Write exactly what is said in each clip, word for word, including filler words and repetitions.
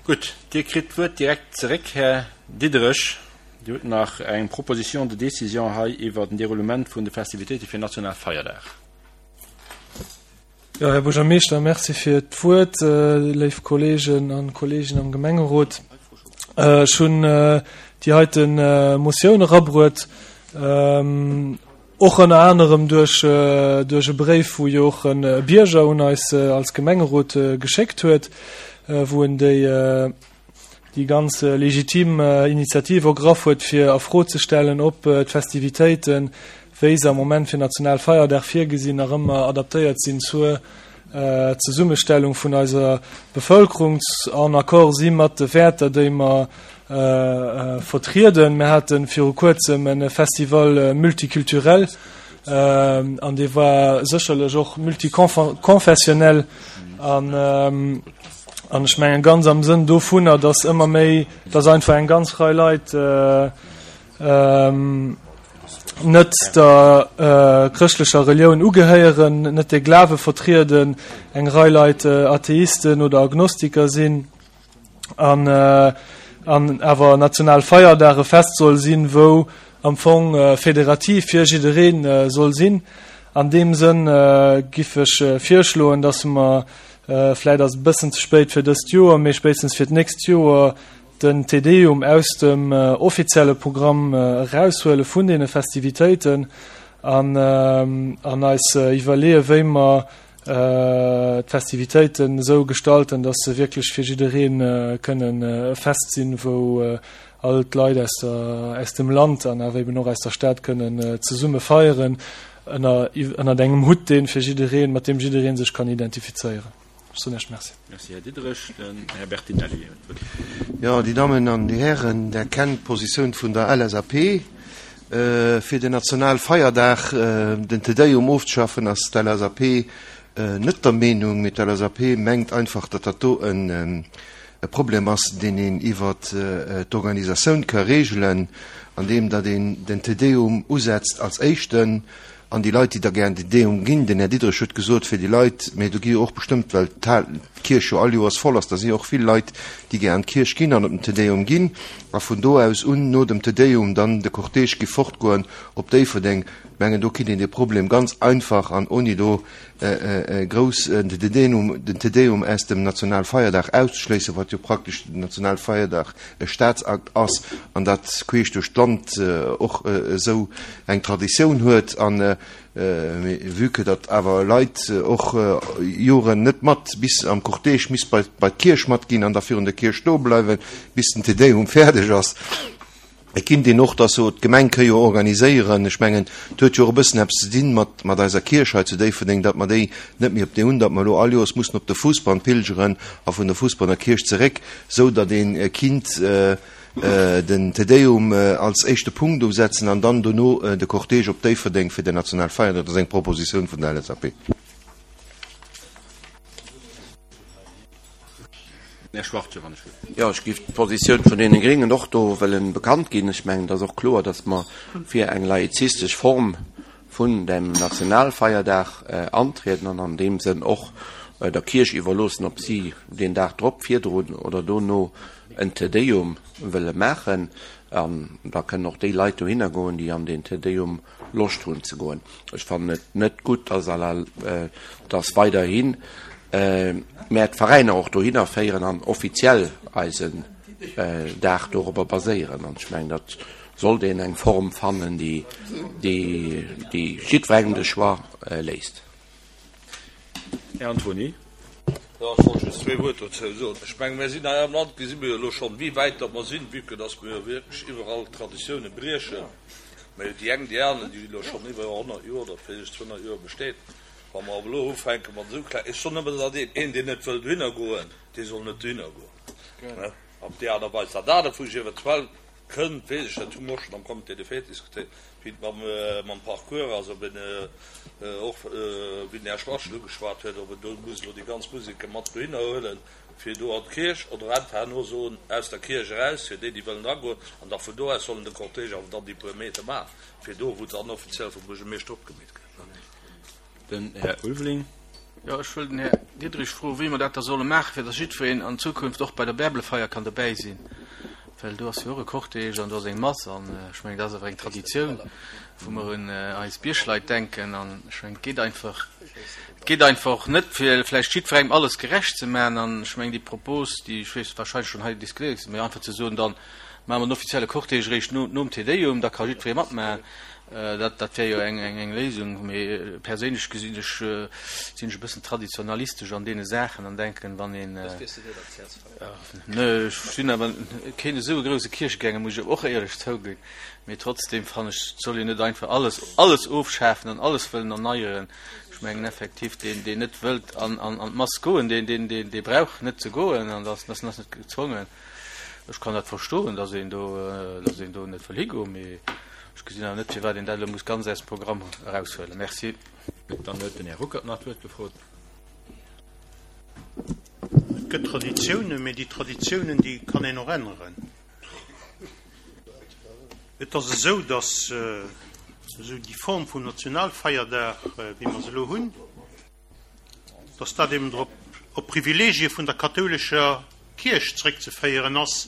Gutt, Dir kritt d'Wuert direkt zeréck, Här Diderich. Dir hutt nach eng Proposition de décision hei iwwert den Déroulement vun de Festivitéite fir Nationalfeierdag. Jo, Här Buergermeeschter, Merci fir d'Wuert. Léif Kolleegen a Kolleeginnen am Gemengerot, ech hunn déi heite Motioun erabruet, och ënner anerem duerch duerch e Bréif, wou jo och e Bierger un eis als Gemengerot geschéckt huet, wou en déi déi ganz legitim Initiativ ergraff huet, fir a Fro ze stellen, ob d'Festivitéiten, wéi se am Moment fir Nationalfeierdag virgesinn, nach ëmmer adaptéiert sinn zur Zesummestellung vun eiser Bevëlkerung, en accord si mat de Wäerter, déi mer vertrieden. Mir hate viru kuerzem e Festival multiculturel an dee war sécherlech och multiconfessionnel an an ech mengen ganz am Sënn dovunner, dass ëmmer méi, dass einfach eng ganz Rei Leit net der chrëschtlecher Relioun ugehéieren, net de Glawe vertrieden, eng Rei Leit Atheisten oder Agnostiker sinn an an awer Nationalfeierdag e Fest soll sinn, wou am Fong federativ fir jidderee soll sinn. An deem Sënn giff ech virschloen, dass mer, vläit ass et e bëssen ze spéit fir dëst Joer, mee spéitstens fir d'nächst Joer, den Te Deum aus dem offizielle Programm eraushuele vun deene Festivitéiten an an eis iwwerleeë wéi mer d'Festivitéiten esou gestalten, dass se wierklech fir jidderee kënnen e Fest sinn, wou all d'Leit aus der aus dem Land an awer eben och aus der Stad kënnen zesumme feieren ënner ënnert engem Hutt, dee fir jiddereen, mat deem jidderee sech kann identifizéieren. Ech soen Iech Merci. Merci, Här Diderich. Den Här Bertinelli huet d'Wuert. Jo, Dir Dammen an Dir Hären, Der kennt d'Positioun vun der L S A P. Fir den Nationalfeierdag, den Te Deum ofzeschaffen, ass d'L S A P net der Meenung. Mee d'L S A P mengt einfach, datt dat do e Problem ass, deen een iwwer d'Organisatioun ka regelen, andeem datt een den Te Deum usetzt als éischten. An déi Leit, déi da gär an den Te Deum ginn, den Här Diderich huet gesot, fir déi Leit, mä do gi jo och bestëmmt, well d'Kierch jo all Joers voll ass, da si jo och vill Leit, déi gär an d'Kierch ginn an op den Te Deum ginn, a vun do aus un, no dem Te Deum, dann de Cortège gi fortgoen op Déifferdeng. Ech mengen, do kritt een dee Problem ganz einfach an ouni do grouss den Te Deum, den Te Deum aus dem Nationalfeierdag auszeschléissen, wat jo praktesch den Nationalfeierdag e Staatsakt ass an dat queesch duerch d'Land och esou eng Traditioun huet. An vue que datt awer Leit och Joren net mat bis am Cortège misst bei bei d'Kierch matginn an da virun der Kierch stoe bleiwen, bis den Te Deum fäerdeg ass, et kinnt een och dass so d'Gemeng ka jo organiséieren. Ech mengen, et huet jo och e bëssen eppes ze dinn mat mat eiser Kierch hei zu Déifferdeng, datt mer déi net méi op déi hunn, datt mer elo all Joers mussen op de Fousbann pilgeren a vun der Fousbanner Kierch zeréck, sou datt een kinnt den Te Deum als éischte Punkt usetzen an dann dono de Cortège op Déifferdeng fir den Nationalfeierdag. Dat ass eng Propositioun vun der L S A P. Här Schwarz, wann ech wëll. Jo, ech géif d'Positioun vun deene Gréngen och do wëllen bekannt ginn. Ech mengen, et ass och kloer, datt mer fir eng laizistesch Form vun dem Nationalfeierdag antrieden an an deem Sënn och der Kierch iwwerloossen, ob si deen Dag drop, virdrun oder dono en Te Deum wëlle maachen. An da kënnen och déi Leit dohinner goen, déi an deen Te Deum Loscht hunn ze goen. Ech fannen et net gutt, dass à la, dass weiderhin mär d'Veräiner och dohinner féieren an offiziell eisen Dag dorobber baséieren. An ech mengen, dat sollt een eng Form fannen, déi, déi, déi jiddwerengem de Choix léisst. Här Antony. Jo, ech wollt just zwee Wuert dozou soen. Ech mengen, mir sinn hei am Land, gesi mir jo elo schonn, wéi wäit datt mer sinn, vue que datt mir jo wierklech iwwerall d'Traditioune briechen. Mä déi eng, déi aner, déi elo schonn iwwer honnert Joer oder vläicht zweehonnert Joer besteet. Wa mer awer elo ufänke mat esou kleng, ech soen nëmmen, datt een, een, deen net wëll dohinner goen, dee soll net dohinner goen. Op déi Aart a Weis. Dat anert, wou ech eventuell kënnt, weess ech net, hu mer och schonn am Comité des fêtes diskutéiert, wéi et mam, mam Parcours ass, ob een och, wéi den Här Schwarzschild ugeschwat huet, ob en do muss elo déi ganz Museke mat dohinner huelen, fir do an d'Kierch, oder einfach herno soen, aus der Kierch eraus, fir déi, déi wëllen eragoen, an da vun do aus sollen de Cortège awer dann déi puer Meter maachen, fir do, wou dann offiziell vum Buergermeeschter opgemeet gëtt. Den Här Ulveling. Jo, ech wëll den Här Diderich froen, wéi mer dat da solle maachen, fir datt jiddwereen an Zukunft och bei der Bärbelefeier kann dobäi sinn. Well do ass jo och e Cortège an do ass eng Mass an ech mengen, dat ass awer eng Traditioun, wou mer un eis Biergleit denken. An ech mengen, et geet einfach, et geet einfach och net, fir vläicht jiddwerengem alles gerecht ze maachen. An ech mengen, déi Propos, déi, ech weess, wahrscheinlech schonn hei diskutéiert ginn ass, mee einfach ze soen, dann maache mer den offizielle Cortège eréischt no, nom Te Deum, da ka jiddweree matmaachen. Dat, dat wär jo eng, eng, eng Léisung. Mee perséinlech gesinn ech, sinn ech e bëssen traditionalistesch an deene Saachen an denken, wann een, ne, ech sinn awer keen esou e grouse Kierchegänger, muss ech och éierlech zouginn. Mee trotzdem fannen ech, et soll een net einfach alles, alles ofschafen an alles wëllen erneieren. Ech mengen effektiv, deen, deen net wëllt an, an, an d'Mass goen, deen, deen, deen, dee brauch net ze goen an ass, ass net gezwongen. Ech kann dat verstoen, dass een do, dass een do net wëll higoen, mee ech gesinn awer net, firwat een dat elo muss ganz aus dem Programm eraushuelen. Merci. Dann huet den Här Ruckert nach d'Wuert gefrot. Et gëtt Traditiounen, mee déi Traditiounen, déi kann een och änneren. Et ass esou, dass esou déi Form vum Nationalfeierdag, wéi mer se elo hunn, dass dat eben drop op Privilegie vun der kathoulescher Kierch zréckzeféieren ass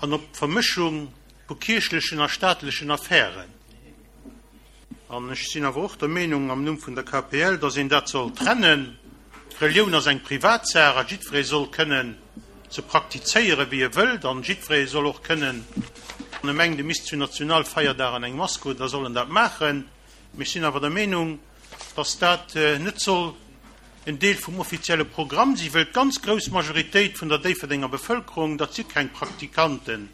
an op d'Vermëschung vu kierchlechen a staatlechen Affären. An ech sinn awer och der Meenung, am Numm vun der K P L, dass een dat soll trennen. D'Relioun ass eng Privatsaach a jiddweree soll kënnen se praktizéieren, wéi e wëllt. An jiddweree soll och kënnen, wann e mengt, e misst zu Nationalfeierdag an eng Mass goen, da soll en dat maachen. Mee ech sinn awer der Meenung, dass dat net soll en Deel vum offizielle Programm sinn, wëll d'ganz grouss Majoritéit vun der Déifferdenger Bevëlkerung, dat si keng Praktikanten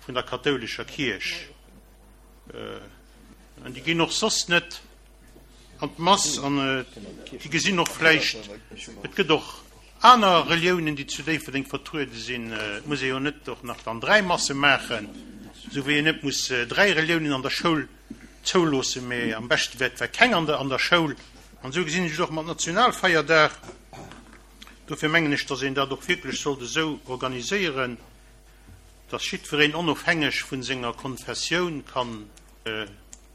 vun der kathoulescher Kierch, an déi ginn och soss net an d'Mass, an déi gesinn och vläicht, et gëtt och aner Reliounen, déi zu Déifferdeng vertruede sinn, et muss ee jo net och nach dann dräi Masse maachen, esou wéi een net muss dräi Reliounen an der Schoul zouloossen, mee am beschte wär et wär keng an der an der Schoul. An esou gesinn ech et och mat Nationalfeierdag. Dofir mengen ech, datt een dat och wierklech sollt esou organiséieren, datt jiddwereen onofhängeg vun senger Konfessioun kann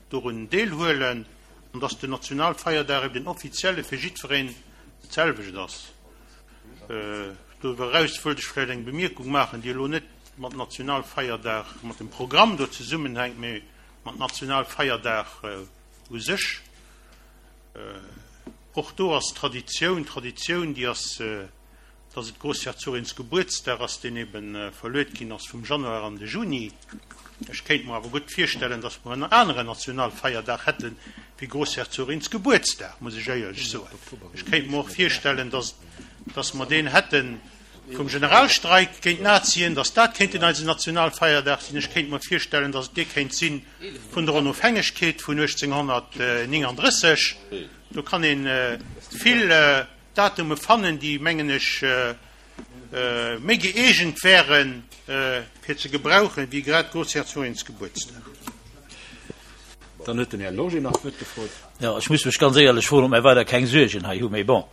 dorun deelhuelen an datt den Nationalfeierdag eben den offizielle fir jiddwereen dat selwecht ass. Doriwwer eraus wëllt ech vläicht eng Bemierkung maachen, déi elo net mat Nationalfeierdag, mat dem Programm do zesummenhänkt, mee mat Nationalfeierdag u sech. Och do ass Traditioun, Traditioun, déi ass, dass et Groussherzogins Gebuertsdag ass, deen ebe verluet ginn ass vum Januar an de Juni. Ech kéint mer awer gutt virstellen, dass mer en aneren Nationalfeierdag hätte wéi Groussherzogins Gebuertsdag, muss ech éierlech soen. Ech kéint mer och virstellen, dass, dass mer deen hätte vum Generalstreik géint d'Nazien, dass dat kéint en eisen Nationalfeierdag sinn. Ech kéint mer virstellen, dass et dee kéint si vun der Onofhängegkeet vun uechtzénghonnertnéngandrësseg. Do kann ee vill Datume fannen, déi, mengen ech, méi gëeegent wären, fir ze gebrauchen, wéi grad Groussherzogins Gebuertsdag. Dann huet den Här Loger nach d'Wuert gefrot. Jo, ech muss mech ganz éierlech froen, ob mir weider keng Suergen hei hunn. Mee bon,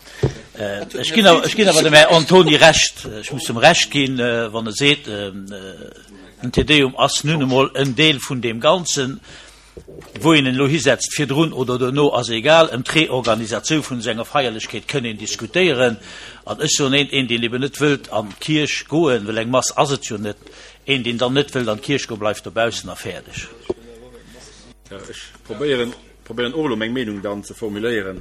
ech ginn awer, ech ginn awer dem Här Antony Recht. Ech muss em Recht ginn, wann e seet, den Te Deum ass nun emol en Deel vun deem Ganzen. Wou een en elo hisetzt, virdrun oder dono, ass egal. Ëm d'Reorganisatioun vun esou enger Feierlechkeet kënn een diskutéieren. An ech soen eent, een, deen eben net wëllt an d'Kierch goen, well eng Mass ass et jo net, een, deen dann net wëllt an d'Kierch goen, bleift dobaussen a fäerdeg. Jo, ech probéieren, probéieren och elo meng Meenung dann ze formuléieren.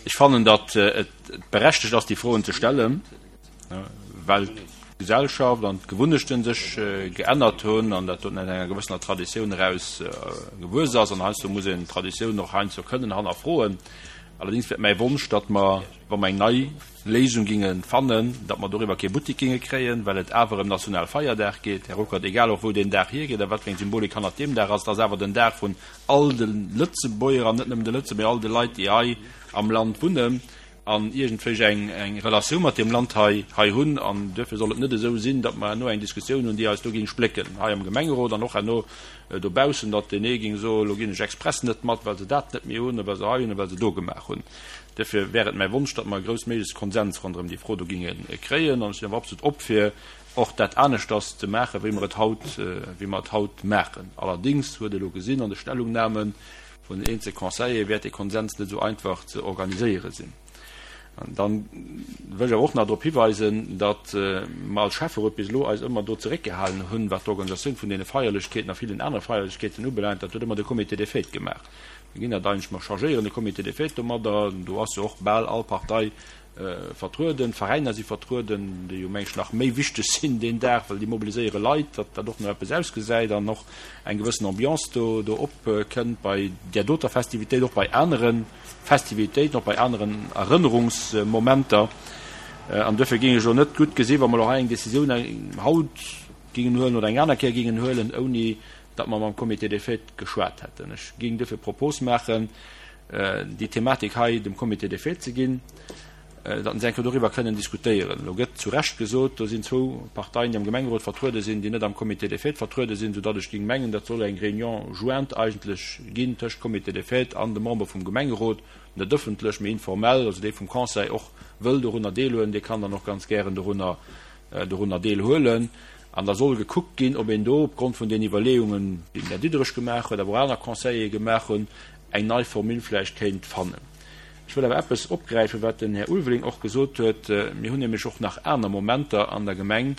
Ech fannen, datt et berechtegt ass, déi Froen ze stellen, well d'Gesellschaft an d'Gewunnechte sech geännert hunn an dat doten aus enger gewëssener Traditioun eraus gewuess ass. An heiansdo muss een d'Traditioun och heiansdo kënnen hannerfroen. Allerdéngs wär et mäi Wonsch, datt mer, wa mer eng nei Léisung ginge fannen, datt mer doriwwer kee Buttek ginge kréien, well et awer ëm Nationalfeierdag geet, Här Ruckert, egal och wou deen Dag hiergeet a wat fir eng Symbolik hannert deem Dag ass, et ass awer den Dag vun all de Lëtzebuerger, an net nëmmen de Lëtzebuerger, all de Leit, déi hei am Land wunnen an iergendwéi eng eng Relatioun mat deem Land hei hei hunn. An duerfir soll et net esou sinn, datt mer herno eng Diskussioun hunn, déi eis do géing splécken, hei am Gemengerot an och herno dobaussen, datt deen ee géing soen, elo ginn ech express net mat, well se dat net méi hunn, well se hei hunn a well se do gemaach hunn. Duerfir wär et mäi Wonsch, datt mer e groussméiglechste Konsens ronderëm déi Fro do géinge kréien. An ech sinn awer absolut op fir och dat aneschters ze maachen, wéi mer et haut, wéi mer et haut maachen. Allerdéngs huet ee elo gesinn an de Stellungnahmen, vun den eenzel Conseillere wäert dee Konsens net esou einfach ze organiséiere sinn. An dann wëll ech awer och nach drop hiweisen, datt mer als Schäfferot bis elo eis ëmmer do zeréckgehalen hunn, wat d'Organisatioun vun deene Feierlechkeeten a villen anere Feierlechkeeten ubelaangt. Dat huet ëmmer de Comité des Fêtes gemaach. Mir ginn dat eigentlech, mer chargéieren de Comité des Fêtes domadder. Do ass jo och bal all Partei vertrueden, d'Veräiner si vertrueden, déi jo meng ech nach méi wichteg sinn deen Dag, well déi mobiliséiere Leit, datt dat och no eppes ausgesäit an och eng gewëssen Ambiance do do opkënnt bei där doter Festivitéit, och bei anere Festivitéiten, och bei aneren Erënnerungsmomenter. An duerfir géing ech elo net gutt gesi wa mer elo hei eng Décisioun haut géingen huelen oder eng aner Kéier géingen huelen, ouni datt mer mam Comité des Fêtes geschwat hätten. Ech géing duerfir d'Propos maachen, déi Thematik hei dem Comité des Fêtes ze ginn, datt se eng Kéier doriwwer kënnen diskutéieren. Elo gëtt zu Recht gesot, do sinn zwou Parteien, déi am Gemengerot vertruede sinn, déi net am Comité des Fêtes vertruede sinn, soudatt ech géing mengen, dat soll eng Réunion jointe eigentlech ginn tëscht Comité des Fêtes an de Member vum Gemengerot, net ëffentlech, mee informell. Also dee vum Conseil och wëll dorunner deelhuelen, dee kann dann och ganz gären dorunner, dorunner deelhuelen. An da soll gekuckt ginn, ob een do opgrond vun den Iwwerleeungen, déi den Här Diderich gemaach huet, awer och aner Conseillere gemaach hunn, eng nei Formule vläicht kéint fannen. Ech wëll awer eppes opgräifen, wat den Här Ulveling och gesot huet. Mir hunn nämlech och nach aner Momenter an der Gemeng,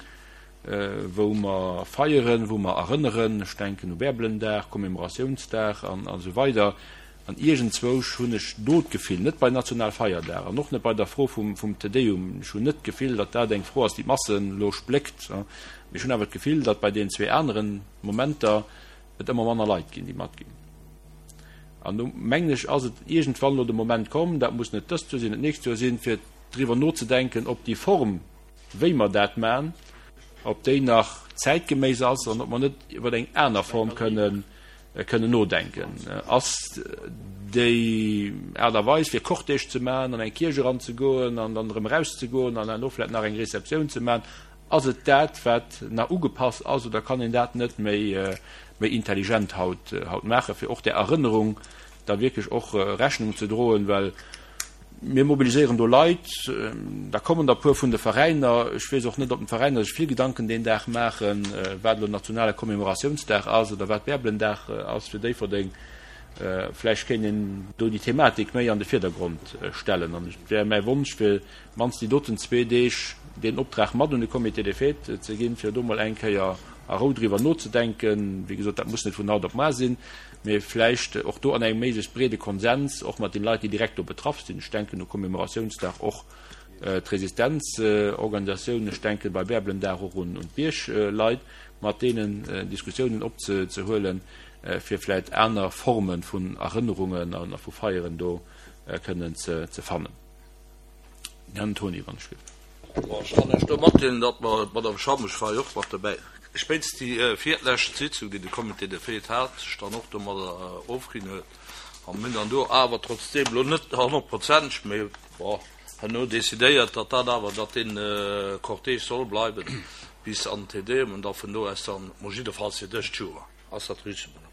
wou mer feieren, wou mer erënneren. Ech denken u Bärbelendag, Commémoratiounsdag an esou weider. An iergendzwousch hunn ech do d'Gefill, net bei Nationalfeierdag an och net bei der Fro vum Te Deum, ech hunn net d'Gefill, datt dat eng Fro ass, déi d'Massen elo spléckt, mee ech hunn awer d'Gefill, datt bei deenen zwee anere Momenter et ëmmer manner Leit ginn, déi matginn. An do, mengen ech, ass et iergendwann elo de Moment komm, dat muss net dëst Joer sinn, net d'nächst Joer sinn, fir driwwer nozedenken, ob déi Form, wéi mer dat maachen, ob déi nach zäitgeméiss ass an ob mer net iwwer eng aner Form kënnen kënnen nodenken. Ass déi Aart a Weis, fir Cortège ze maachen, an eng Kierch eranzegoen an dann erëm erauszegoen an herno vläicht nach eng Receptioun ze maachen, ass et dat, wat nach ugepasst ass, oder kann een dat net méi méi intelligent haut haut maachen, fir och där Erënnerung da wierklech och Rechnung ze droen? Well mir mobiliséieren do Leit, da kommen der e puer vun de Veräiner. Ech weess och net, ob d'Veräiner sech vill Gedanken deen Dag maachen, wat elo nationale Commémoratiounsdag ass oder wat Bärbelendag ass fir Déifferdeng. Vläicht kéint een do déi Thematik méi an de Virdergrond stellen. An et wär mäi Wonsch, fir mannst déi doten zwee Deeg deen Optrag mat un de Comité des Fêtes ze ginn, fir do mol eng Kéier a Rou driwwer nozedenken. Wéi gesot, dat muss net vun haut op mar sinn, mee vläicht och do an engem méiglechst breede Konsens, och mat den Leit, déi direkt do betraff sinn. Ech denken u Commémoratiounsdag och d'Resistenzorganisatiounen, ech denken bei Bärbelendag och un d'Biergleit, mat deenen Diskussiounen opzehuelen, fir vläicht aner Forme vun Erënnerungen a vu Feieren do kënnen ze fannen. Här Antoni, wann ech giff. Bon, ech kann lech do matdeelen, datt mer, d'Madame Schammesch war jo och mat dobäi, spéitstens déi virlescht Sitzung, déi de Comité des Fêtes hat, sech dann och domadder ofginn huet. A mir hunn dann do awer trotzdeem, elo net honnertprozenteg, mee bon, herno decidéiert, datt dat awer, datt dee Cortège soll bleiwen bis an den Te Deum an da vun do aus dann, mol jiddefalls fir dëst Joer. Ass dat richtig, Madame?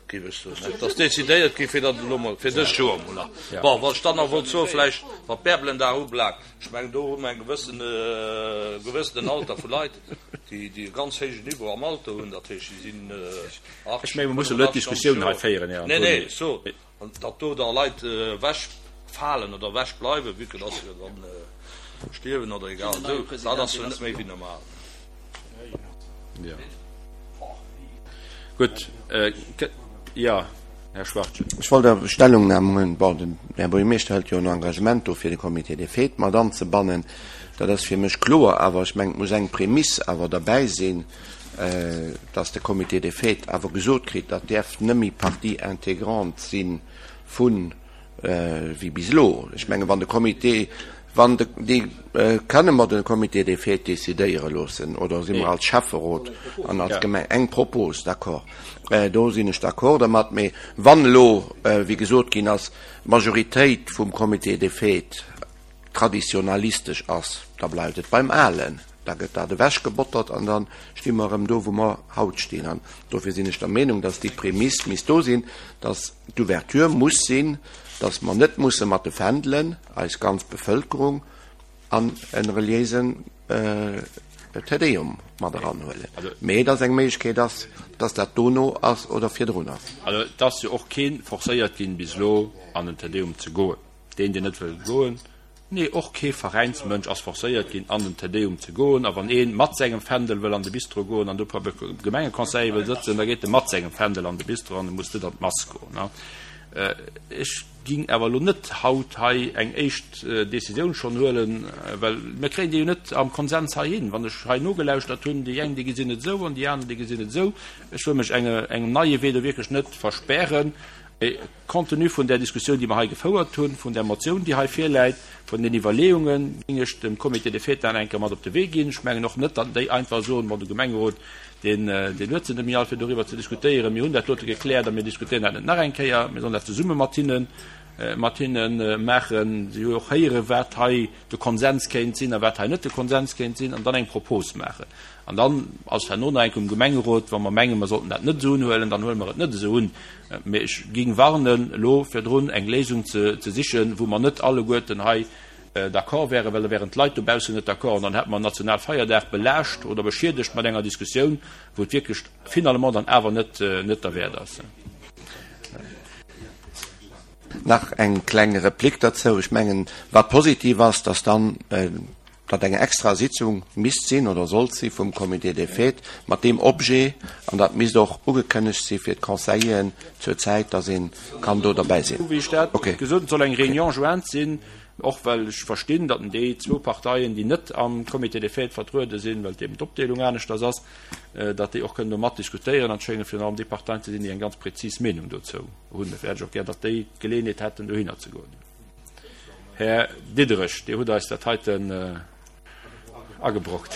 Géif ech soen, et ass decidéiert gi fir datt elo mol fir dëst Joer mol nach. Bon, wat ech dann nach wollt soen, vläicht wat d'Bärbelendag ubelaangt, ech mengen do hu mer eng gewëssen, e gewëssenen Alter vu Leit, déi, déi e ganz héijen Niveau am Alter hunn, dat heescht, déi sinn Ech menge mer musse elo net d'Diskussioun hei féieren, Här Antoni. Nee, nee, so, an datt do da Leit ewechfalen oder ewechbleiwen, vue que datt se jo dann stierwen oder egal esou, dat ass jo net méi wéi normal. Jo. Gutt, jo, Här Schwachtgen. Ech wollt awer Stellungnam huelen. Bon, den Här Buergermeeschter hëlt jo en Engagement do, fir de Comité des Fêtes mat anzebannen. Dat ass fir mech kloer. Awer ech mengen, et muss eng Prämiss awer derbäi sinn, dass de Comité des Fêtes awer gesot kritt, dat däerf nëmme Partie intégrante si vun wéi bis elo. Ech mengen, wann de Comité, wann de, déi, kënne mer de Comité des Fêtes décidéiere loossen oder si mer als Schäfferot an als Gemeng? Eng Propos, d'accord, do sinn ech d'accord dermat. Mee wann elo, wéi gesot ginn ass, d'Majoritéit vum Comité des Fêtes traditionalistesch ass, da bleift et beim Alen, da gëtt dat ewechgebottert an da sti mer erëm do, wou mer haut stinn. An dofir sinn ech der Meenung, dass déi Prämiss misst do sinn, dass d'Ouverture muss sinn, dass mer net musse mat de Fändelen eis ganz Bevëlkerung an e reliéise Te Deum mat eranhuelen, mee dass eng Méiglechkeet ass, dass dat dono ass oder virdrun ass. Also et ass jo och kee forcéiert ginn, bis elo an den Te Deum ze goen. Deen, deen net wëll goen, nee, och kee Veräinsmënsch ass forcéiert ginn, an den Te Deum ze goen. A wann ee mat sengem Fändel wëll an de Bistro goen an do beim Gemengeconseiller wëll sëtzen, da geet e mat sengem Fändel an de Bistro an e muss net an d'Mass goen. Ech ging awer elo net haut hei eng éischt Décisioun schonn huelen, well mir kréien déi jo net am Konsens heihin. Wann ech hei nogelauschtert hunn, déi eng, déi gesinn et esou an déi aner, déi gesinn et esou. Ech wëll mech engem neie Wee do wierklech net verspären. Mee compte tenu vun där Diskussioun, déi mer hei gefouert hunn, vun där Motioun, déi hei virläit, vun den Iwwerleeungen, géing ech dem Comité des fêtes nach eng Kéier mat op de Wee ginn. Ech mengen och net, datt déi einfach soen, Bon, de Gemengerot, Deen huet se net méi all, fir doriwwer ze diskutéieren. Mir hunn dat dote gekläert a mir diskutéieren dat net nach eng Kéier. Mir sollen dat zesumme mat hinne, mat hinne maachen. Si hu jo och héieren, wat hei de Konsens kéint sinn a wat hei net de Konsens kéint sinn, an dann eng Propos maachen. An dann ass herno nach eng Kéier um Gemengerot, wa mer mengen, mer sollten dat net esou unhuelen, dann huele mer et net esou un. Mee ech géing warnen, elo virdrun eng Léisung ze sichen, wou mer net alleguerten hei d'accord wären, well da wären d'Leit dobaussen net d'accord an dann hätte mer en Nationalfeierdag belaascht oder beschiedegt mat enger Diskussioun, wou et wierklech finalement dann awer net net derwäert ass. Nach eng kleng Replik derzou. Ech mengen, wat positiv ass, dass dann datt eng extra Sitzung misst sinn oder sollt si vum Comité des fêtes mat deem Objet, an dat misst och ugekënnegt si fir d'Conseilleren zur Zäit, dass ee kann do derbäi sinn. Wéi ech dat gesot hunn, et soll eng Réunion jointe sinn, Och well ech verstinn, datt déi zwou Parteien, déi net am Comité des fêtes vertruede sinn, well eben d'Opdeelung aneschters ass, datt déi och kënnen do matdiskutéieren. An et schénge virun allem déi Parteien ze sinn, déi eng ganz prezis Meenung dozou hunn. Dofir hätt ech och gär, datt déi d'Geleeënheet hätten, dohinner ze goen. Här Diderich, Dir hutt eis dat heiten agebrockt.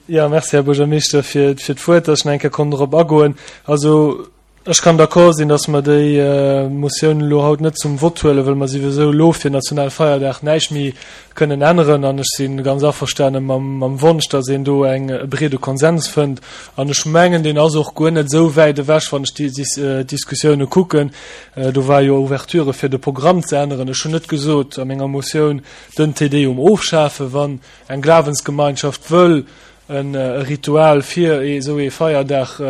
Jo, merci, Här Buergermeeschter, fir d'Wuert, datt ech nach eng Kéier konnt dorop agoen. Also, Ech kann d'accord sinn, dass mer déi Motioun elo haut net zum Vott huelen, well mer souwisou elo fir Nationalfeierdag näischt méi kënnen änneren. An ech si ganz averstane mam Wonsch, dass een do eng e breede Konsens fënnt. An ech mengen, deen ass och guer net esou wäit ewech, wann ech déi Diskussioune kucken. Do war jo Ouverture fir de Programm ze änneren. Ech hunn net gesot a menger Motioun, den Te Deum ofschafen. Wann eng Glawensgemeinschaft wëll e Ritual fir esou ee Feierdag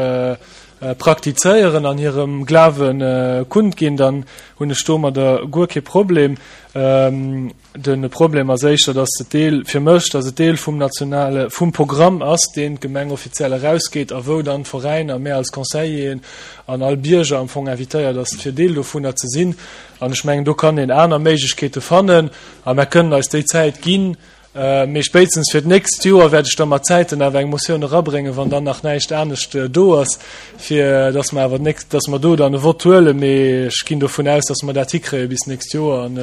praktizéieren an hirem Glawe kundginn, dann hunn ech domadder guer kee Problem. De Problem ass éischter, dass et Deel, fir mech, dass et Deel vum nationale, vum Programm ass, deen d'Gemeng offiziell erausgeet a wou dann d'Veräiner, mär als Conseilleren an all Bierger am Fong invitéiert ass, fir Deel dovunner ze sinn. An ech mengen, do kann een aner Méiglechkeete fannen a mär kënnen eis déi Zäit ginn, Mee spéitstens fir d'nächst Joer wäert ech da mat Zäiten awer eng Motioun erabréngen, wann dann nach näischt anescht do ass, fir dass mer awer d'nächst, dass mer do dann e Vott huelen. Mee ech ginn dovun aus, dass mer dat hikréie bis d'nächst Joer an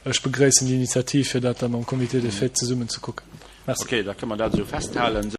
ech begréissen déi Initiativ, fir dat da mam Comité des fêtes zesummen ze kucken. Merci. Okay, da kënne mer dat esou festhalen.